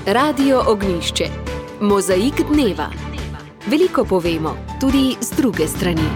Radio Ognjišče. Mozaik dneva. Veliko povemo, tudi z druge strani.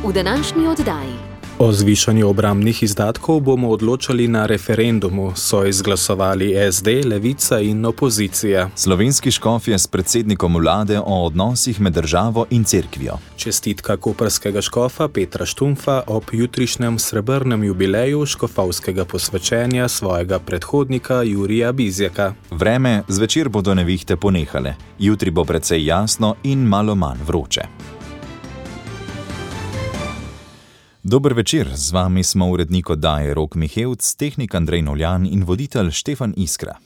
V današnji oddaji. O zvišanju obrambnih izdatkov bomo odločali na referendumu, so izglasovali SD, Levica in opozicija. Slovenski škofje s predsednikom vlade o odnosih med državo in cerkvijo. Čestitka koprskega škofa Petra Štumfa ob jutrišnjem srebrnem jubileju škofovskega posvečenja svojega predhodnika Jurija Bizjaka. Vreme, zvečer bodo nevihte ponehale. Jutri bo precej jasno in malo manj vroče. Dober večer, z vami smo urednik oddaje Rok Mihevc, tehnik Andrej Novljan in voditelj Štefan Iskra.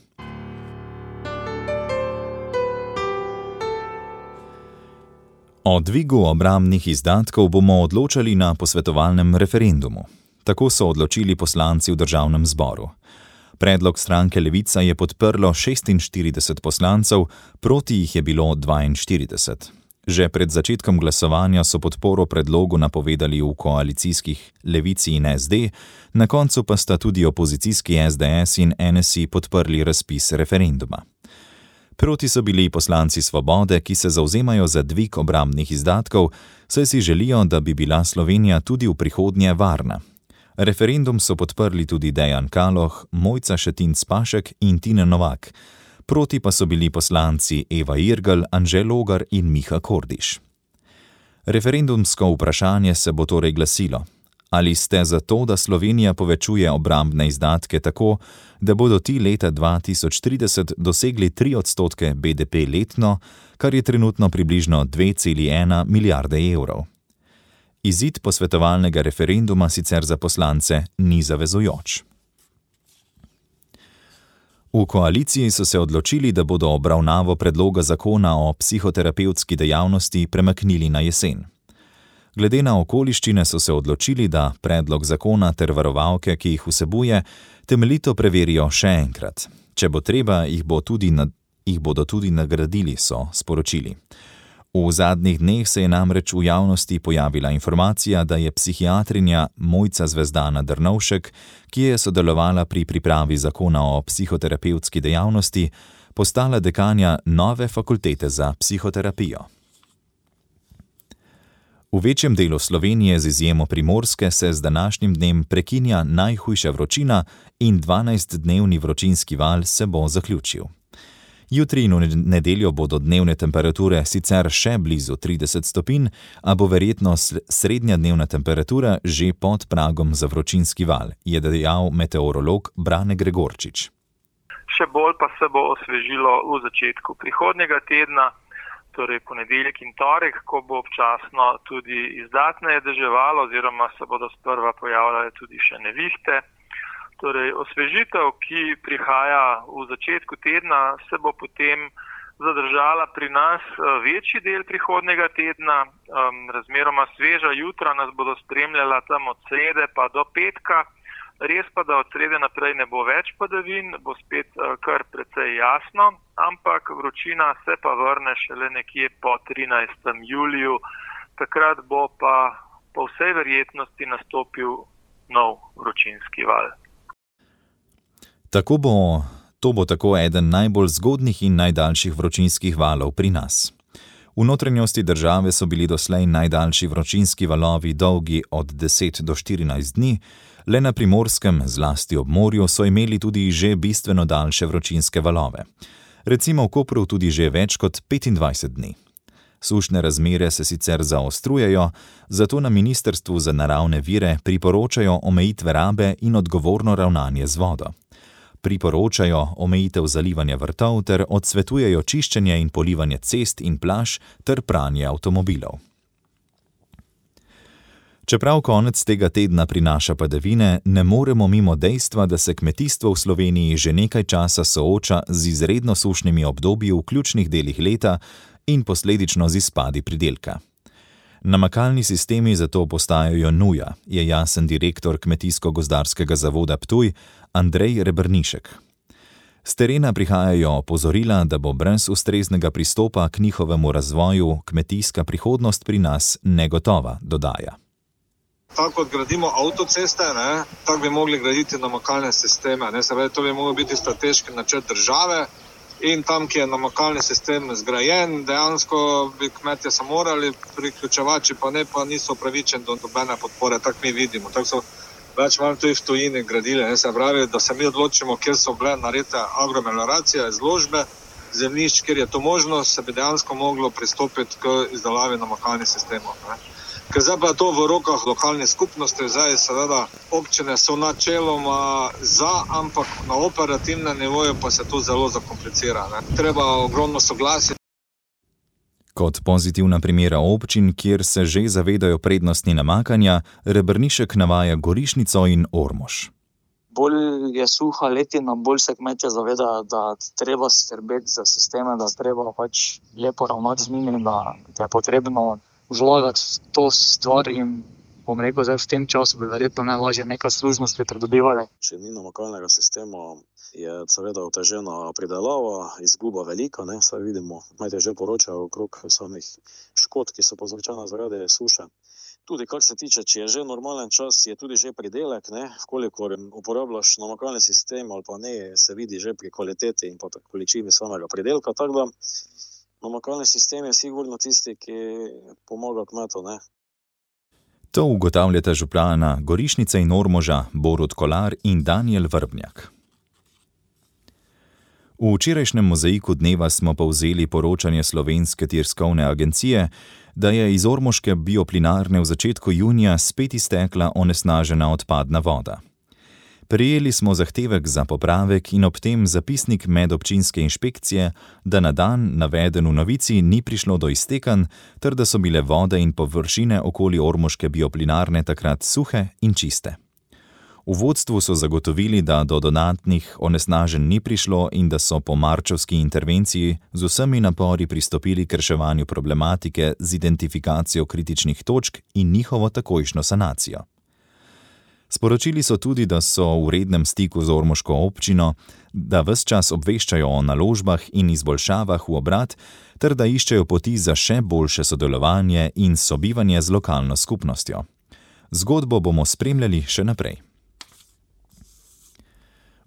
O dvigu obrambnih izdatkov bomo odločali na posvetovalnem referendumu. Tako so odločili poslanci v državnem zboru. Predlog stranke Levica je podprlo 46 poslancev, proti jih je bilo 42. Že pred začetkom glasovanja so podporo predlogu napovedali v koalicijskih Levici in SD, na koncu pa sta tudi opozicijski SDS in NSI podprli razpis referenduma. Proti so bili poslanci Svobode, ki se zavzemajo za dvig obrambnih izdatkov, saj si želijo, da bi bila Slovenija tudi v prihodnje varna. Referendum so podprli tudi Dejan Kaloh, Mojca Šetinc Pašek in Tine Novak. Proti pa so bili poslanci Eva Irgl, Anže Logar in Miha Kordiš. Referendumsko vprašanje se bo torej glasilo: ali ste za to, da Slovenija povečuje obrambne izdatke tako, da bodo ti leta 2030 dosegli 3% BDP letno, kar je trenutno približno 2,1 milijarde evrov. Izid posvetovalnega referenduma sicer za poslance ni zavezujoč. V koaliciji so se odločili, da bodo obravnavo predloga zakona o psihoterapevtski dejavnosti premaknili na jesen. Glede na okoliščine so se odločili, da predlog zakona ter varovalke, ki jih vsebuje, temeljito preverijo še enkrat. Če bo treba, jih bodo tudi nagradili, so sporočili. V zadnjih dneh se je namreč v javnosti pojavila informacija, da je psihiatrinja Mojca Zvezdana Drnovšek, ki je sodelovala pri pripravi zakona o psihoterapevtski dejavnosti, postala dekanja nove fakultete za psihoterapijo. V večjem delu Slovenije z izjemo Primorske se z današnjim dnem prekinja najhujša vročina in 12-dnevni vročinski val se bo zaključil. Jutri in v nedeljo bodo dnevne temperature sicer še blizu 30 stopinj, a bo verjetno srednja dnevna temperatura že pod pragom za vročinski val, je dejal meteorolog Brane Gregorčič. Še bolj pa se bo osvežilo v začetku prihodnjega tedna, torej ponedeljek in torek, ko bo občasno tudi izdatneje deževalo oziroma se bodo sprva pojavljale tudi še nevihte. Torej, osvežitev, ki prihaja v začetku tedna, se bo potem zadržala pri nas večji del prihodnjega tedna. Razmeroma sveža jutra nas bodo spremljala tam od srede pa do petka. Res pa, da od srede naprej ne bo več padavin, bo spet kar precej jasno, ampak vročina se pa vrne šele nekje po 13. juliju. Takrat bo pa po vsej verjetnosti nastopil nov vročinski val. To bo tako eden najbolj zgodnjih in najdaljših vročinskih valov pri nas. V notranjosti države so bili doslej najdaljši vročinski valovi dolgi od 10 do 14 dni, le na Primorskem, zlasti ob morju, so imeli tudi že bistveno daljše vročinske valove. Recimo v Kopru tudi že več kot 25 dni. Sušne razmere se sicer zaostrujejo, zato na Ministrstvu za naravne vire priporočajo omejitve rabe in odgovorno ravnanje z vodo. Priporočajo omejitev zalivanja vrtov ter odsvetujejo čiščenje in polivanje cest in plaž ter pranje avtomobilov. Čeprav konec tega tedna prinaša padavine, ne moremo mimo dejstva, da se kmetijstvo v Sloveniji že nekaj časa sooča z izredno sušnimi obdobji v ključnih delih leta in posledično z izpadi pridelka. Namakalni sistemi zato postajajo nuja, je jasen direktor Kmetijsko-gozdarskega zavoda Ptuj Andrej Rebrnišek. S terena prihajajo opozorila, da bo brez ustreznega pristopa k njihovemu razvoju kmetijska prihodnost pri nas negotova, dodaja. Tako kot gradimo avtoceste, tako bi mogli graditi namakalne sisteme. Se pravi, to bi mogel biti strateški načrt države in tam, ki je namakalni sistem zgrajen, dejansko bi kmetje se morali priključevati, pa ne, pa niso upravičeni do nobene podpore, tako mi vidimo. Tako so več malo tudi v tujini gradili. Se pravi, da se mi odločimo, kjer so bile naredite agromelioracije, izložbe zemljišč, kjer je to možno, se bi dejansko moglo pristopiti k izdelavi namakalnih sistemov. Ker zdaj pa je to v rokah lokalnih skupnosti, zdaj seveda občine so načeloma za, ampak na operativnem nivoju pa se to zelo zakomplicira. Treba ogromno soglasje. Kot pozitivna primera občin, kjer se že zavedajo prednosti namakanja, Rebrnišek navaja Gorišnico in Ormož. Bolj je suha letina, bolj se kmetje zavedajo, da treba skrbeti za sisteme, da treba pač lepo ravnati z njimi, da je potrebno vlagati to stvar in bom rekel, zdaj v tem času bi verjetno najlažje nekaj služnosti pridobivali. Če ni namakalnega sistema, je seveda otežena pridelava, izguba velika, saj vidimo, kmetje že poročajo okrog samih škod, ki so povzročene zaradi suše. Tudi kar se tiče, če je že normalen čas, je tudi že pridelek, kolikor uporabljaš namakalni sistem ali pa ne, se vidi že pri kvaliteti in pa količini samega pridelka, tako da namakalni sistem je sigurno tisti, ki pomaga kmetu, To ugotavljata župana Gorišnice in Ormoža Borut Kolar in Danijel Vrbnjak. V včerajšnjem mozaiku dneva smo povzeli poročanje Slovenske tiskovne agencije, da je iz ormoške bioplinarne v začetku junija spet iztekla onesnažena odpadna voda. Prejeli smo zahtevek za popravek in ob tem zapisnik medobčinske inšpekcije, da na dan naveden v novici ni prišlo do iztekanj, ter da so bile vode in površine okoli ormoške bioplinarne takrat suhe in čiste. V vodstvu so zagotovili, da do dodatnih onesnaženj ni prišlo in da so po marčevski intervenciji z vsemi napori pristopili k reševanju problematike z identifikacijo kritičnih točk in njihovo takojšnjo sanacijo. Sporočili so tudi, da so v rednem stiku z ormoško občino, da ves čas obveščajo o naložbah in izboljšavah v obrat, ter da iščejo poti za še boljše sodelovanje in sobivanje z lokalno skupnostjo. Zgodbo bomo spremljali še naprej.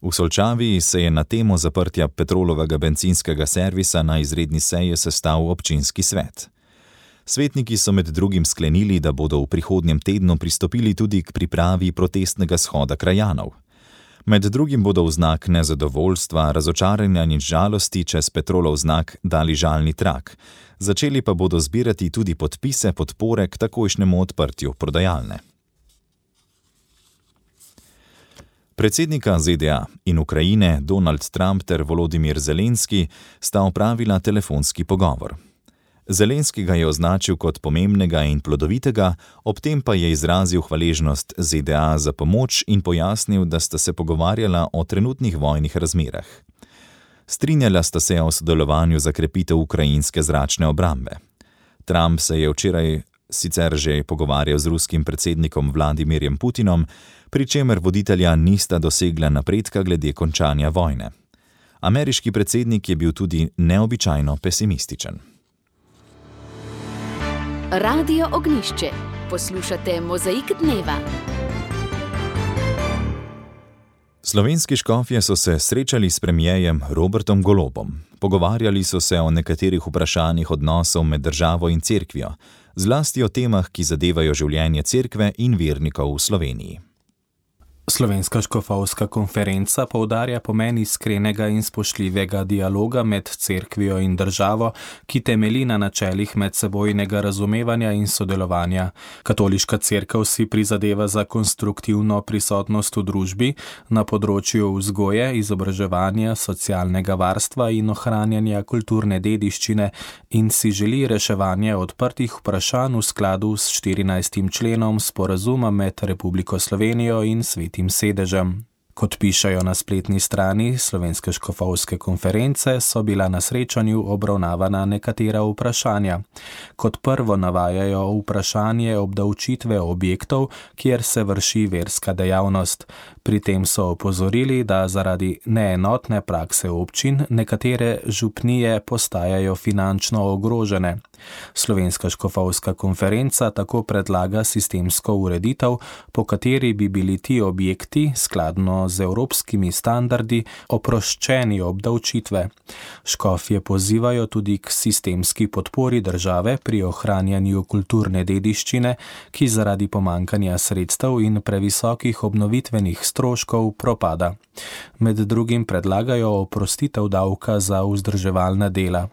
V Solčavi se je na temo zaprtja Petrolovega bencinskega servisa na izredni seji sestal občinski svet. Svetniki so med drugim sklenili, da bodo v prihodnjem tednu pristopili tudi k pripravi protestnega shoda krajanov. Med drugim bodo v znak nezadovoljstva, razočaranja in žalosti čez Petrolov znak dali žalni trak. Začeli pa bodo zbirati tudi podpise podpore k takojšnjemu odprtju prodajalne. Predsednika ZDA in Ukrajine Donald Trump ter Volodimir Zelenski sta opravila telefonski pogovor. Zelenski ga je označil kot pomembnega in plodovitega, ob tem pa je izrazil hvaležnost ZDA za pomoč in pojasnil, da sta se pogovarjala o trenutnih vojnih razmerah. Strinjala sta se o sodelovanju za krepitev ukrajinske zračne obrambe. Trump se je včeraj sicer že pogovarjal z ruskim predsednikom Vladimirjem Putinom, pri čemer voditelja nista dosegla napredka glede končanja vojne. Ameriški predsednik je bil tudi neobičajno pesimističen. Radio Ognjišče. Poslušate Mozaik dneva. Slovenski škofje so se srečali s premierjem Robertom Golobom. Pogovarjali so se o nekaterih vprašanjih odnosov med državo in cerkvijo, zlasti o temah, ki zadevajo življenje cerkve in vernikov v Sloveniji. Slovenska škofovska konferenca poudarja pomen iskrenega in spoštljivega dialoga med cerkvijo in državo, ki temelji na načelih medsebojnega razumevanja in sodelovanja. Katoliška cerkev si prizadeva za konstruktivno prisotnost v družbi na področju vzgoje, izobraževanja, socialnega varstva in ohranjanja kulturne dediščine in si želi reševanje odprtih vprašanj v skladu s 14. členom sporazuma med Republiko Slovenijo in Svetim sedežem. Kot pišejo na spletni strani Slovenske škofovske konference, so bila na srečanju obravnavana nekatera vprašanja. Kot prvo navajajo vprašanje obdavčitve objektov, kjer se vrši verska dejavnost. Pri tem so opozorili, da zaradi neenotne prakse občin nekatere župnije postajajo finančno ogrožene. Slovenska škofovska konferenca tako predlaga sistemsko ureditev, po kateri bi bili ti objekti, skladno z evropskimi standardi, oproščeni obdavčitve. Škofje pozivajo tudi k sistemski podpori države pri ohranjanju kulturne dediščine, ki zaradi pomankanja sredstev in previsokih obnovitvenih stroškov propada. Med drugim predlagajo oprostitev davka za vzdrževalna dela.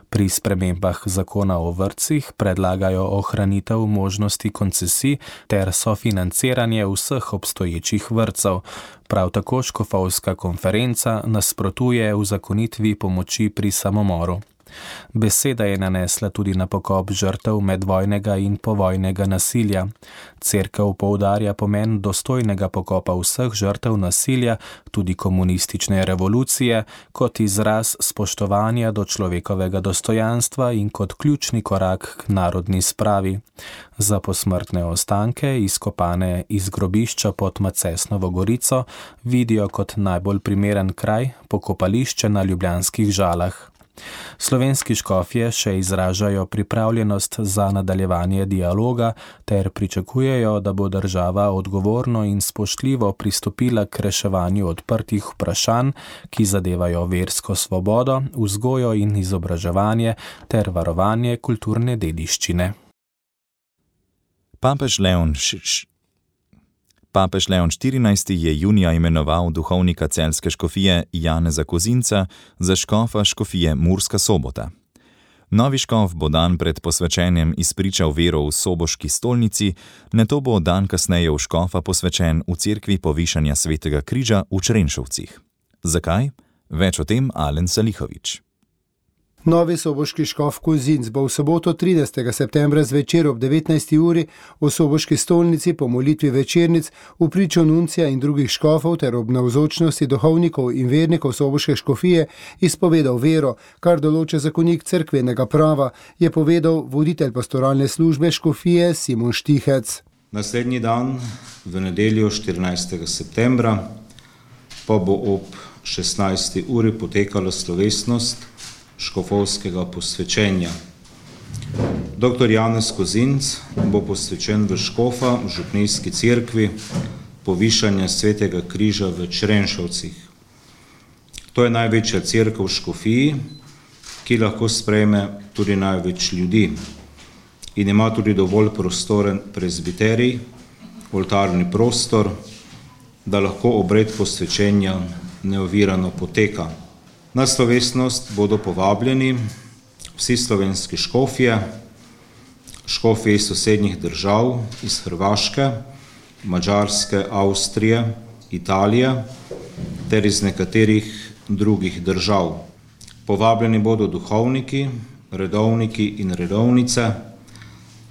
Pri spremembah zakona o vrtcih predlagajo ohranitev možnosti koncesij ter sofinanciranje vseh obstoječih vrtcev. Prav tako škofovska konferenca nasprotuje uzakonitvi pomoči pri samomoru. Beseda je nanesla tudi na pokop žrtev medvojnega in povojnega nasilja. Cerkev poudarja pomen dostojnega pokopa vseh žrtev nasilja, tudi komunistične revolucije, kot izraz spoštovanja do človekovega dostojanstva in kot ključni korak k narodni spravi. Za posmrtne ostanke, izkopane iz grobišča pod Macesnovo Gorico, vidijo kot najbolj primeren kraj pokopališče na Ljubljanskih Žalah. Slovenski škofje še izražajo pripravljenost za nadaljevanje dialoga ter pričakujejo, da bo država odgovorno in spoštljivo pristopila k reševanju odprtih vprašanj, ki zadevajo versko svobodo, vzgojo in izobraževanje ter varovanje kulturne dediščine. Papež Leon XIV. Je junija imenoval duhovnika celjske škofije Janeza Kozinca za škofa škofije Murska Sobota. Novi škof bo dan pred posvečenjem izpričal vero v soboški stolnici, nato bo dan kasneje v škofa posvečen v cerkvi Povišanja Svetega križa v Črenšovcih. Zakaj? Več o tem Alen Salihovič. Novi soboški škof Kozinc bo v soboto 13. septembra zvečer ob 19. uri v soboški stolnici po molitvi večernic v pričo nuncija in drugih škofov ter ob navzočnosti duhovnikov in vernikov soboške škofije izpovedal vero, kar določa zakonik cerkvenega prava, je povedal voditelj pastoralne službe škofije Simon Štihec. Naslednji dan, v nedeljo 14. septembra, pa bo ob 16. uri potekala slovesnost škofovskega posvečenja. Dr. Janez Kozinc bo posvečen v škofa v župnijski cerkvi Povišanja Svetega križa v Črenšovcih. To je največja cerkev v škofiji, ki lahko sprejme tudi največ ljudi in ima tudi dovolj prostoren prezbiterij, oltarni prostor, da lahko obred posvečenja neovirano poteka. Na slovesnost bodo povabljeni vsi slovenski škofje, škofje iz sosednjih držav, iz Hrvaške, Madžarske, Avstrije, Italije ter iz nekaterih drugih držav. Povabljeni bodo duhovniki, redovniki in redovnice,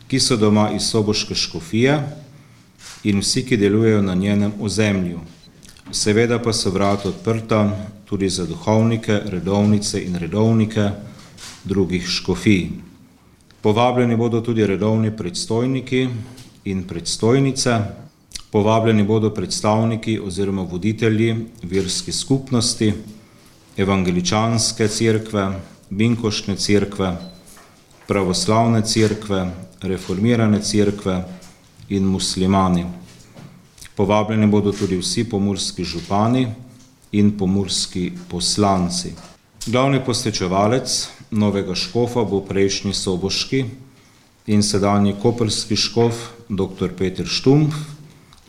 ki so doma iz soboške škofije in vsi, ki delujejo na njenem ozemlju. Seveda pa so vrata odprta tudi za duhovnike, redovnice in redovnike drugih škofij. Povabljeni bodo tudi redovni predstojniki in predstojnice, povabljeni bodo predstavniki oziroma voditelji verskih skupnosti, evangeličanske cerkve, binkošne cerkve, pravoslavne cerkve, reformirane cerkve in muslimani. Povabljeni bodo tudi vsi pomurski župani in pomurski poslanci. Glavni posvečevalec novega škofa bo prejšnji soboški in sedanji koprski škof dr. Peter Štumpf,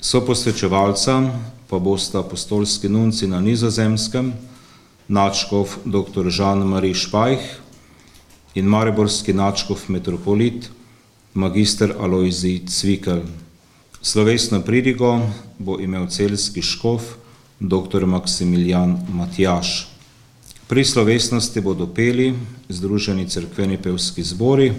soposvečevalca pa bosta apostolski nunci na Nizozemskem, nadškof dr. Jean-Marie Špajh in mariborski nadškof metropolit magister Alojzij Cvikl. Slovesno pridigo bo imel celjski škof dr. Maksimilijan Matjaž. Pri slovesnosti bodo peli Združeni cerkveni pevski zbori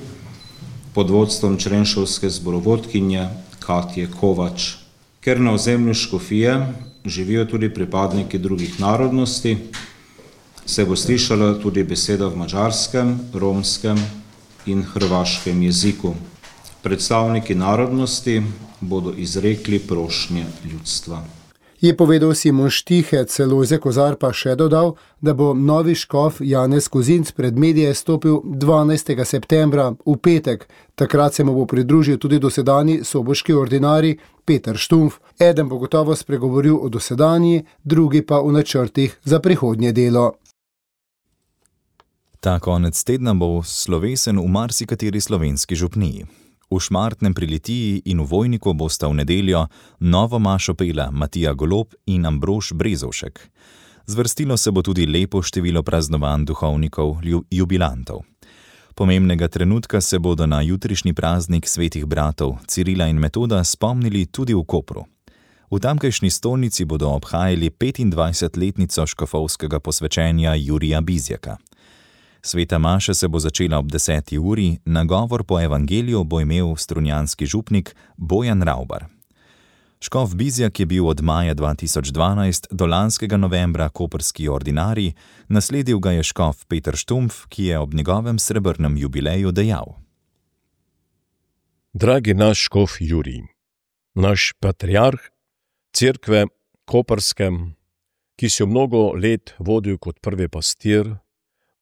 pod vodstvom črenšovske zborovodkinje Katje Kovač. Ker na ozemlju škofije živijo tudi pripadniki drugih narodnosti, se bo slišala tudi beseda v madžarskem, romskem in hrvaškem jeziku. Predstavniki narodnosti bodo izrekli prošnje ljudstva. Je povedal Simon Štihec, Lojze Kozar pa še dodal, da bo novi škof Janez Kozinc pred medije stopil 12. septembra v petek. Takrat se mu bo pridružil tudi dosedanji soboški ordinarij Peter Štumpf. Eden bo gotovo spregovoril o dosedanji, drugi pa o načrtih za prihodnje delo. Ta konec tedna bo slovesen v marsikateri slovenski župniji. V Šmartnem pri Litiji in v Vojniku bosta v nedeljo novo mašo pela Matija Golob in Ambrož Brezovšek. Zvrstilo se bo tudi lepo število praznovanj duhovnikov jubilantov. Pomembnega trenutka se bodo na jutrišnji praznik svetih bratov Cirila in Metoda spomnili tudi v Kopru. V tamkajšnji stolnici bodo obhajali 25-letnico škofovskega posvečenja Jurija Bizjaka. Sveta maša se bo začela ob 10. uri, nagovor po evangeliju bo imel strunjanski župnik Bojan Ravbar. Škof Bizjak je bil od maja 2012 do lanskega novembra koprski ordinarij, nasledil ga je škof Peter Štumpf, ki je ob njegovem srebrnem jubileju dejal. Dragi naš škof Jurij, naš patriarh cerkve koprske, ki si jo mnogo let vodil kot prvi pastir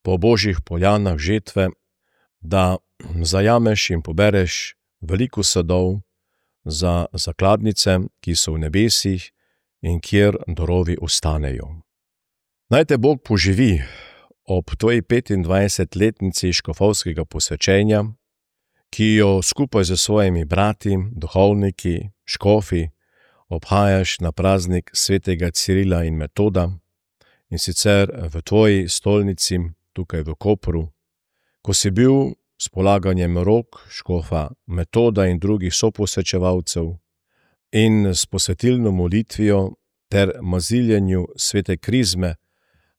po božjih poljanah žetve, da zajameš in pobereš veliko sadov za zakladnice, ki so v nebesih in kjer dorovi ostanejo. Naj te Bog poživi ob tvoji 25-letnici škofovskega posvečenja, ki jo skupaj z svojimi brati, duhovniki, škofi obhajaš na praznik svetega Cirila in Metoda, in sicer v tvoji stolnici tukaj v Kopru, ko si bil s polaganjem rok škofa Metoda in drugih soposvečevalcev in s posvetilno molitvijo ter maziljenju svete krizme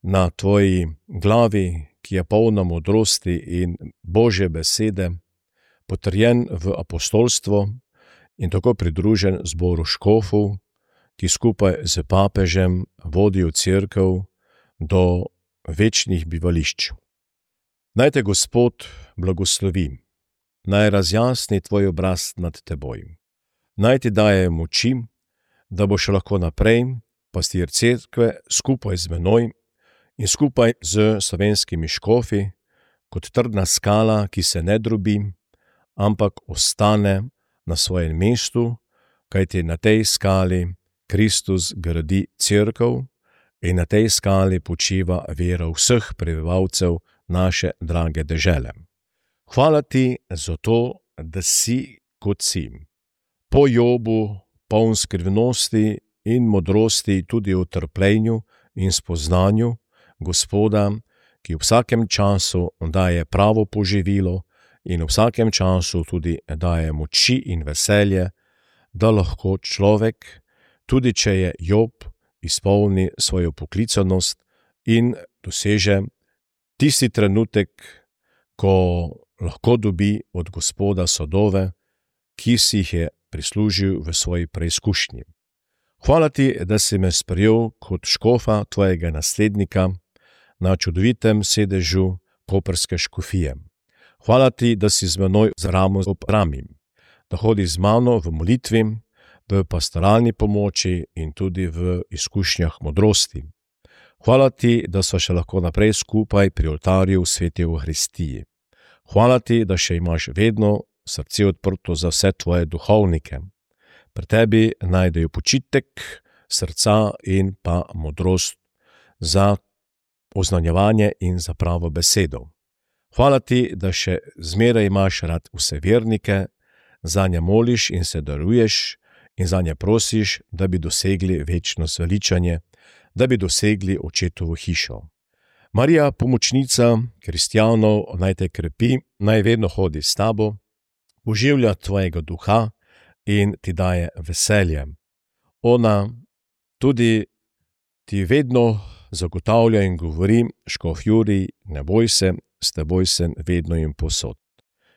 na tvoji glavi, ki je polna modrosti in Božje besede, potrjen v apostolstvo in tako pridružen zboru škofov, ki skupaj z papežem vodijo cerkev do večnih bivališč. Naj te Gospod blagoslovi, naj razjasni tvoj obraz nad teboj, naj ti daje moči, da boš lahko naprej pastir cerkve skupaj z menoj in skupaj z slovenskimi škofi, kot trdna skala, ki se ne drobi, ampak ostane na svojem mestu, kajti na tej skali Kristus gradi cerkev in na tej skali počiva vera vseh prebivalcev naše drage dežele. Hvala ti za to, da si kot si. Po Jobu, poln skrivnosti in modrosti tudi v trpljenju in spoznanju Gospoda, ki v vsakem času daje pravo poživilo in v vsakem času tudi daje moči in veselje, da lahko človek, tudi če je Job, izpolni svojo poklicanost in doseže tisti trenutek, ko lahko dobi od Gospoda sadove, ki si jih je prislužil v svoji preizkušnji. Hvala ti, da si me sprejel kot škofa tvojega naslednika na čudovitem sedežu koprske škofije. Hvala ti, da si z menoj z ramo ob rami, da hodi z mano v molitvi, v pastoralni pomoči in tudi v izkušnjah modrosti. Hvala ti, da sva še lahko naprej skupaj pri oltarju v sveti Euharistiji. Hvala ti, da še imaš vedno srce odprto za vse tvoje duhovnike. Pri tebi najdejo počitek srca in pa modrost za oznanjevanje in za pravo besedo. Hvala ti, da še zmeraj imaš rad vse vernike, zanje moliš in se daruješ in zanje prosiš, da bi dosegli večno zveličanje, da bi dosegli očetovo hišo. Marija, pomočnica kristjanov, naj te krepi, naj vedno hodi s tabo, oživlja tvojega duha in ti daje veselje. Ona tudi ti vedno zagotavlja in govori, škof Jurij, ne boj se, s teboj sem vedno in povsod.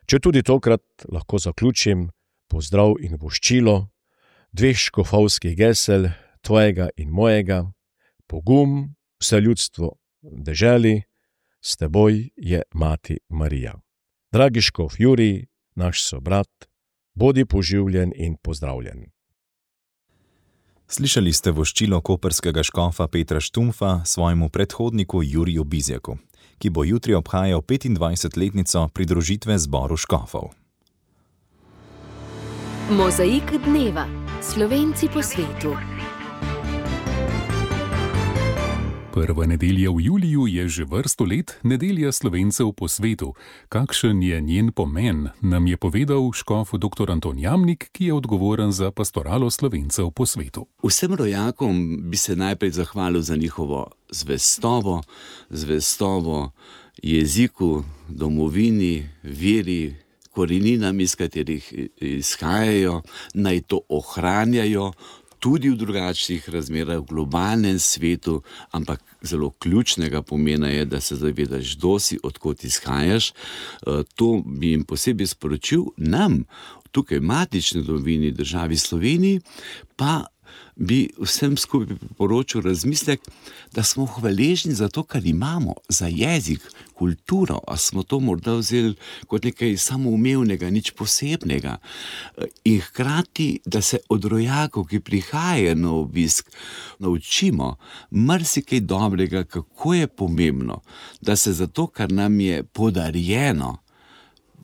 Če tudi tokrat lahko zaključim pozdrav in voščilo dveh škofovskih gesel, tvojega in mojega, pogum, vse ljudstvo deželi, s teboj je Mati Marija. Dragi škof Jurij, naš sobrat, bodi poživljen in pozdravljen. Slišali ste voščilo koprskega škofa Petra Štumfa svojemu predhodniku Juriju Bizjaku, ki bo jutri obhajal 25-letnico pridružitve zboru škofov. Mozaik dneva. Slovenci po svetu. Prva nedelja v juliju je že vrsto let nedelja Slovencev po svetu. Kakšen je njen pomen, nam je povedal škof dr. Anton Jamnik, ki je odgovoren za pastoralo Slovencev po svetu. Vsem rojakom bi se najprej zahvalil za njihovo zvestobo jeziku, domovini, veri, koreninam, iz katerih izhajajo, naj to ohranjajo, tudi v drugačnih razmerah, v globalnem svetu, ampak zelo ključnega pomena je, da se zavedaš, kdo si, odkot izhajaš. To bi jim posebej sporočil, nam, tukaj matični domovini, državi Sloveniji, pa bi vsem skupaj priporočil razmislek, da smo hvaležni za to, kar imamo, za jezik, kulturo, a smo to morda vzeli kot nekaj samoumevnega, nič posebnega. In hkrati, da se od rojakov, ki prihajajo na obisk, naučimo marsikaj dobrega, kako je pomembno, da se za to, kar nam je podarjeno,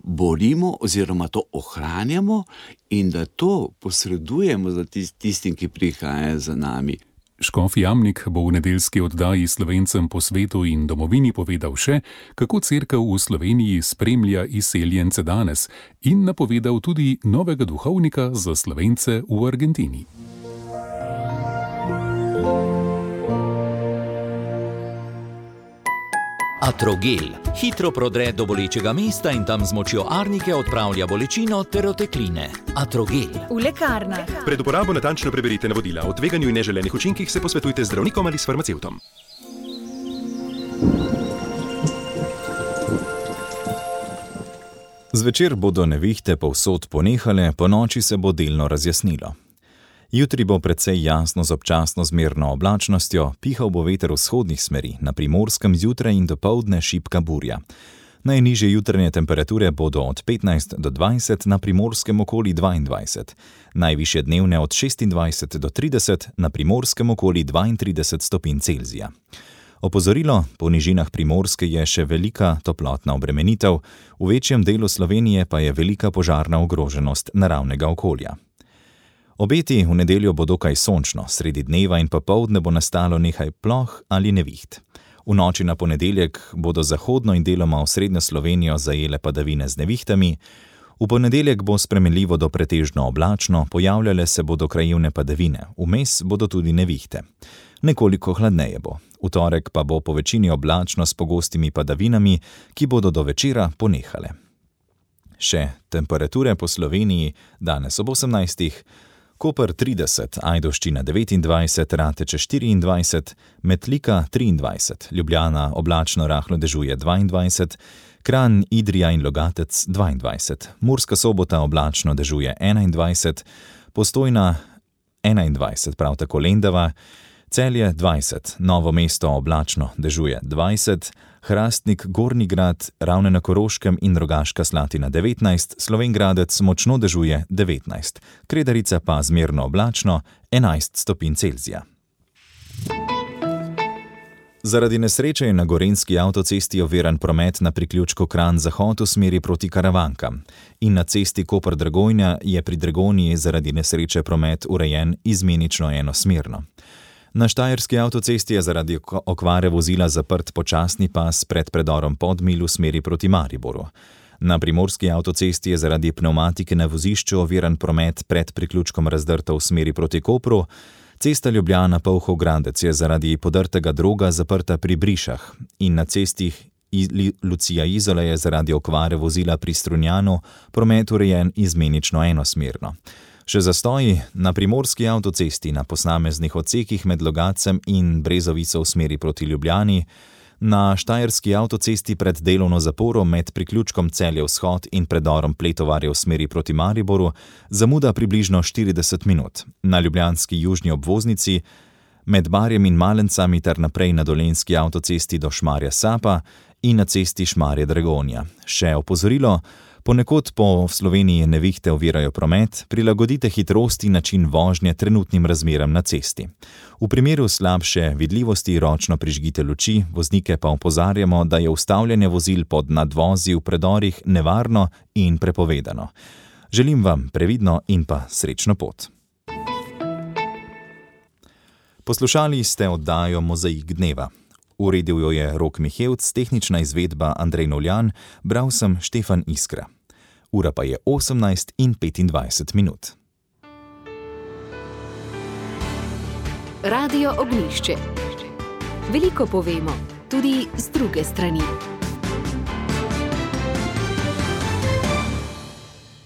borimo oziroma to ohranjamo in da to posredujemo za tistim, ki prihajajo za nami. Škof Jamnik bo v nedeljski oddaji Slovencem po svetu in domovini povedal še, kako cerkev v Sloveniji spremlja izseljence danes in napovedal tudi novega duhovnika za Slovence v Argentini. Atrogel hitro prodre do bolečega mesta in tam z močjo arnike odpravlja bolečino ter otekline. Atrogel. V lekarnah. Pred uporabo natančno preberite navodila. O tveganju in neželenih učinkih se posvetujte z zdravnikom ali s farmacevtom. Zvečer bodo nevihte povsod ponehale, ponoči se bo delno razjasnilo. Jutri bo precej jasno z občasno zmerno oblačnostjo, pihal bo veter vzhodnih smeri, na Primorskem zjutraj in dopoldne šibka burja. Najnižje jutranje temperature bodo od 15 do 20, na Primorskem okoli 22, najvišje dnevne od 26 do 30, na Primorskem okoli 32 stopinj Celzija. Opozorilo, po nižinah Primorske je še velika toplotna obremenitev, v večjem delu Slovenije pa je velika požarna ogroženost naravnega okolja. Obeti v nedeljo bo dokaj sončno, sredi dneva in popoldne bo nastalo nekaj ploh ali neviht. V noči na ponedeljek bodo zahodno in deloma osrednjo Slovenijo zajele padavine z nevihtami, v ponedeljek bo spremenljivo do pretežno oblačno, pojavljale se bodo krajevne padavine, vmes bodo tudi nevihte. Nekoliko hladneje bo, v torek pa bo po večini oblačno s pogostimi padavinami, ki bodo do večera ponehale. Še temperature po Sloveniji danes ob 18. Koper 30, Ajdovščina 29, Rateče 24, Metlika 23, Ljubljana oblačno rahlo dežuje 22, Kranj, Idrija in Logatec 22, Murska Sobota oblačno dežuje 21, Postojna 21, prav tako Lendava, Celje 20, Novo mesto oblačno dežuje 20, Hrastnik, Gornji Grad, Ravne na Koroškem in Rogaška Slatina 19, Slovenj-Gradec močno dežuje 19, Kredarica pa zmerno oblačno 11 stopinj Celzija. Zaradi nesreče je na gorenjski avtocesti oviran promet na priključku Kranj-Zahod v smeri proti Karavankam in na cesti Koper-Dragonja je pri Dragonji zaradi nesreče promet urejen izmenično enosmerno. Na štajerski avtocesti je zaradi okvare vozila zaprt počasni pas pred predorom Podmilj v smeri proti Mariboru. Na primorski avtocesti je zaradi pnevmatike na vozišču oviran promet pred priključkom Razdrta v smeri proti Kopru. Cesta Ljubljana-Polhov-Gradec je zaradi podrtega droga zaprta pri Brišah in na cesti Lucija-Izola je zaradi okvare vozila pri Strunjanu promet urejen izmenično enosmerno. Še zastoji na primorski avtocesti na posameznih odsekih med Logatcem in Brezovico v smeri proti Ljubljani, na štajerski avtocesti pred delovno zaporo med priključkom Celje-Vzhod in predorom Pletovarje v smeri proti Mariboru zamuda približno 40 minut, na ljubljanski južni obvoznici med Barjem in Malencami ter naprej na dolenjski avtocesti do Šmarja Sapa in na cesti Šmarje-Dragonja. Še opozorilo, Ponekod po Sloveniji nevihte ovirajo promet, prilagodite hitrost in način vožnje trenutnim razmeram na cesti. V primeru slabše vidljivosti ročno prižgite luči, voznike pa opozarjamo, da je ustavljanje vozil pod nadvozi v predorih nevarno in prepovedano. Želim vam previdno in pa srečno pot. Poslušali ste oddajo Mozaik dneva. Uredil jo je Rok Mihevc, tehnična izvedba Andrej Novljan, bral sem Štefan Iskra. Ura pa je 18:25. Radio Ognjišče. Veliko povemo, tudi z druge strani.